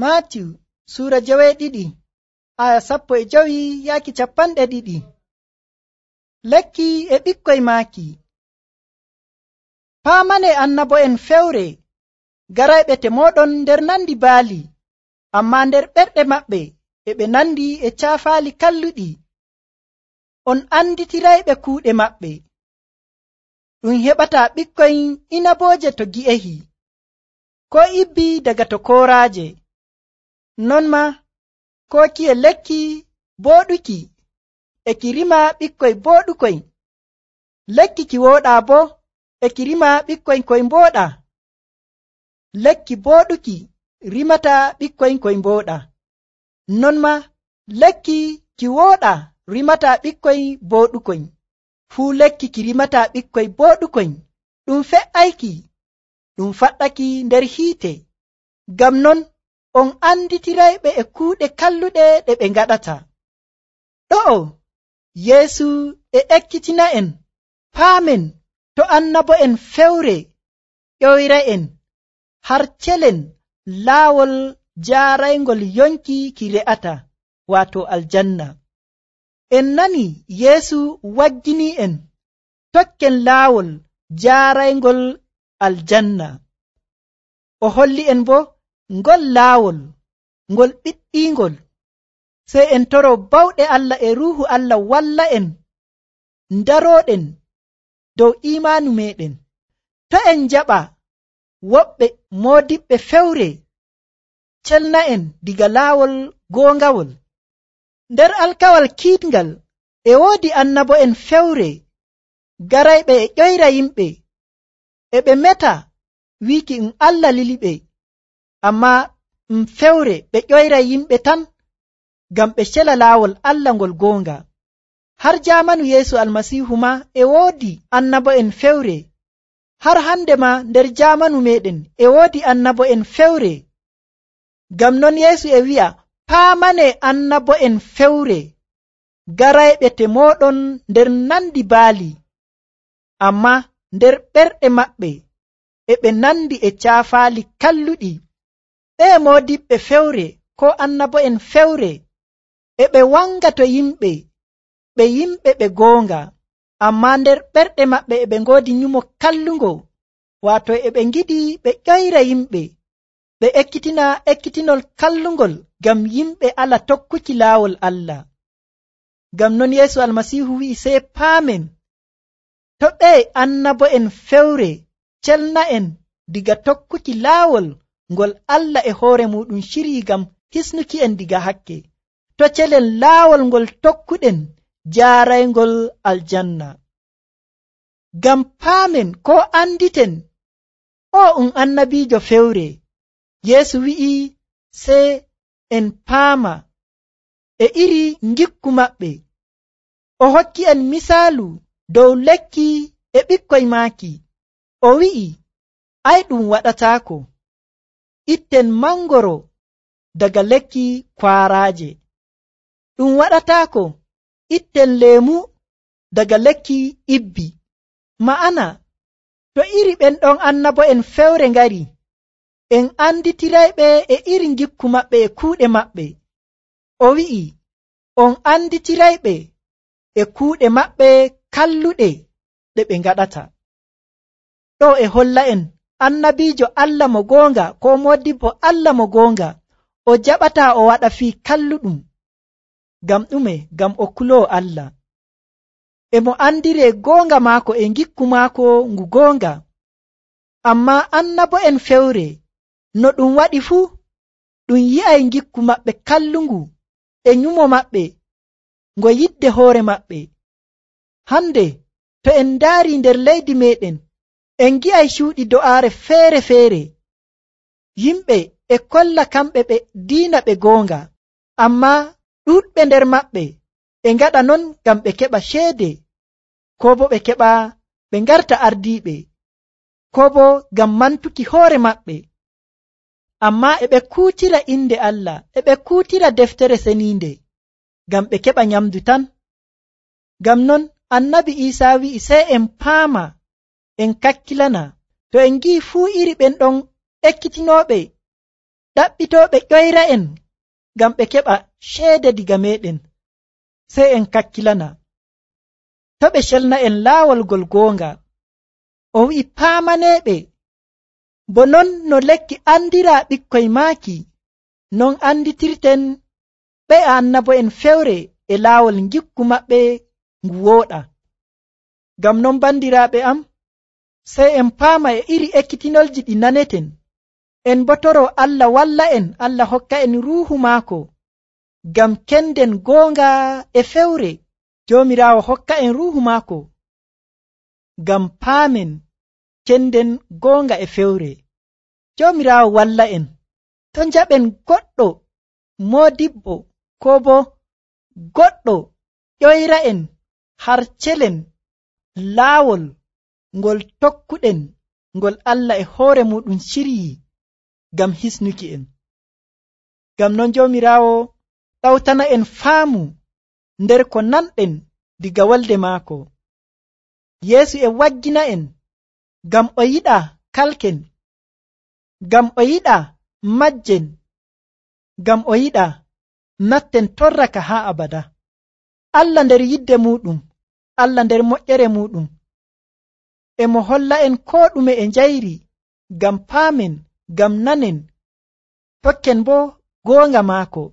Maatiw suura 12 aya 15 yaaki 20. Lekki e ɓikkoy maaki. Paamane annabo'en fewre garayɓe te mooɗon nder nandi baali, ammaa nder ɓerɗe maɓɓe e ɓe nandi e caafaali kalluɗi. On anditirayɓe kuuɗe maɓɓe. Ɗum heɓataa ɓikkoy inabooje to gi'ehi, ko ibbi daga to kooraaje. Non ma kookiye lekki booɗuki e ki rima ɓikkoy booɗukoy. Lekki ki wooɗaa bo e ki rima ɓikkoy koy mbooɗaa. Lekki booɗuki rimata ɓikkoy koy mbooɗaa. Non ma lekki ki wooɗaa rimata ɓikkoy booɗukoy. Fuu lekki ki rimata ɓikkoy booɗukoy ɗum fe'ayki, ɗum faɗɗaki nder hiite. Ngam non on anditirayɓe e kuuɗe kalluɗe ɗe ɓe ngaɗata. Ɗo'o Yeesu e ekkitina'en paamen to annabo'en fewre ƴoyra'en har celen laawol jaarayngol yonki ki re'ata, waato aljanna. En nani Yeesu waggini'en tokken laawol jaarayngol aljanna. O holli'en bo ngol laawol ngol ɓiɗɗiingol. Sey en toro bawɗe Allah e Ruuhu Allah walla'en ndarooɗen dow iimaanu meeɗen. To en njaɓa woɓɓe moodiɓɓe fewre celna'en diga laawol goongawol. Nder alkawal kiiɗngal e woodi annabo'en fewre garayɓe e ƴoyra yimɓe, e ɓe meta wiiki Allah liliɓe, ammaa fewre ɓe ƴoyra yimɓe tan ngam ɓe cela laawol Allah ngol goonga. Har jaamanu Yeesu Almasiihu ma e woodi annabo'en fewre. Har hande ma nder jaamanu meeɗen e woodi annabo'en fewre. Ngam non Yeesu e wi'a paamane annabo'en fewre garayɓe te mooɗon nder nandi baali, ammaa nder ɓerɗe maɓɓe e ɓe nandi e caafaali kalluɗi. Ɓe moodiɓɓe fewre ko annabo'en fewre e ɓe wanga to yimɓe, ɓe yimɓe ɓe goonga, ammaa nder ɓerɗe maɓɓe e ɓe ngoodi nyumo kallungo, waato e ɓe ngiɗi ɓe ƴoyra yimɓe, ɓe ekkitina ekkitinol kallungol ngam yimɓe ala tokkuki laawol Allah. Ngam non Yeesu Almasiihu wi'i sey paamen to ɓe annabo'en fewre celna'en diga tokkuki laawol ngol Allah e hoore muɗum cirii ngam hisnuki'en diga hakke, to celen laawol ngol tokkuɗen jaarayngol aljanna. Ngam paamen ko anditen o annabiijo fewre. Yeesu wi'i sey en paama e iri ngikku maɓɓe. O hokki en misaalu dow lekki e ɓikkoy maaki. O wi'i ɗum waɗataako. Itten mangoro daga lekki kwaaraaje. Ɗum waɗataako itten leemu daga lekki ibbi. Ma'ana to iri ɓen ɗon annabo'en fewre ngari, en anditirayɓe e iri ngikku maɓɓe e kuuɗe maɓɓe. O wi'i on anditirayɓe e kuuɗe maɓɓe kalluɗe ɗe ɓe ngaɗata. Ɗo e holla en annabiijo Allah mo goonga ko modibbo Allah mo goonga o jaɓataa o waɗa fii kalluɗum. Ngam ɗume? Ngam o kuloo Allah. E mo andiree goonga maako e ngikku maako ngu goonga. Ammaa annabo'en fewre no ɗum waɗi fuu, ɗum yi'ay ngikku maɓɓe kallungu e nyumo maɓɓe ngo yidde hoore maɓɓe. Hande to en ndaari nder leydi meeɗen, en gi'ay cuuɗi do'aare feere-feere. Yimɓe e kolla kamɓe ɓe diina ɓe goonga, ammaa ɗuuɗɓe nder maɓɓe e ngaɗa non ngam ɓe keɓa ceede, ko bo ɓe keɓa ɓe ngarta ardiiɓe, ko bo ngam mantuki hoore maɓɓe. Ammaa e ɓe kuutira inde Allah, e ɓe kuutira deftere seniinde ngam ɓe keɓa nyamdu tan. Ngam non annabi Iisaa wi'i sey en paama, en kakkilana, to en ngi'i fuu iri ɓen ɗon ekkitinooɓe ɗaɓɓitooɓe ƴoyra'en ngam ɓe keɓa ceede diga meɗen, sey en kakkilana. To ɓe celna'en laawol ngol goonga. O wi'i paamaneeɓe, bo non no lekki andiraa ɓikkoy maaki, non anditirten ɓe annabo'en fewre e laawol ngikku maɓɓe ngu wooɗa. Ngam non bandiraaɓe am, sey en paama e iri ekkitinolji ɗi naneten, en bo toroo Allah walla'en, Allah hokka en ruuhu maako, ngam kenden goonga e fewre. Joomiraawo hokka en ruuhu maako, ngam paamen kenden goonga e fewre. Joomiraawo walla'en. To njaɓen goɗɗo moodibbo koo bo goɗɗo ƴoyra'en har celen laawol ngol tokkuɗen, ngol Allah e hoore muɗum ciryii ngam hisnuki en. Ngam non Joomiraawo ɗawtana en faamu nder ko nanɗen diga wolde maako. Yeesu e waggina en ngam o yiɗaa kalken, ngam o yiɗaa majjen, ngam o yiɗaa natten torraka haa abada. Allah nder yidde muɗum, Allah nder moƴƴere muɗum, e mo holla en koo ɗume e njayri, ngam paamen, ngam nanen, tokken bo goonga maako.